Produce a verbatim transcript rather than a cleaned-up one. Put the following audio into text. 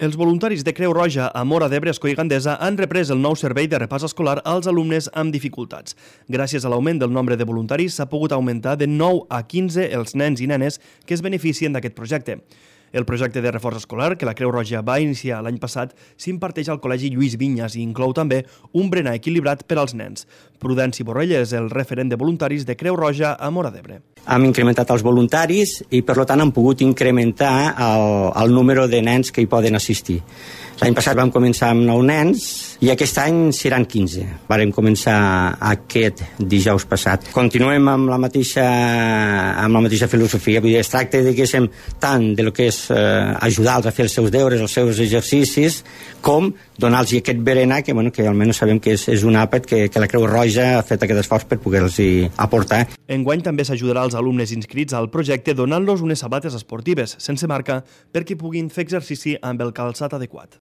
Els voluntaris de Creu Roja a Móra d'Ebre, Escó i Gandesa han reprès el nou servei de repàs escolar als alumnes amb dificultats. Gràcies a l'augment del nombre de voluntaris s'ha pogut augmentar de nou a quinze els nens i nenes que es beneficien d'aquest projecte. El projecte de reforç escolar, que la Creu Roja va iniciar l'any passat, s'imparteix al Col·legi Lluís Vinyes i inclou també un berenar equilibrat per als nens. Prudenci Borrell és el referent de voluntaris de Creu Roja a Móra d'Ebre. Hem incrementat els voluntaris i, per tant, hem pogut incrementar el, el número de nens que hi poden assistir. L'any passat vam començar amb nou nens i aquest any seran quinze. Vàrem començar aquest dijous passat. Continuem amb la mateixa, amb la mateixa filosofia. Vull dir, es tracta, diguéssim, tant de lo que és eh, ajudar-los a fer els seus deures, els seus exercicis, com donar-los aquest berenar, que, bueno, que almenys sabem que és, és un àpat que, que la Creu Roja ha fet aquest esforç per poder-los aportar. Enguany també s'ajudarà als alumnes inscrits al projecte donant-los unes sabates esportives, sense marca, perquè puguin fer exercici amb el calçat adequat.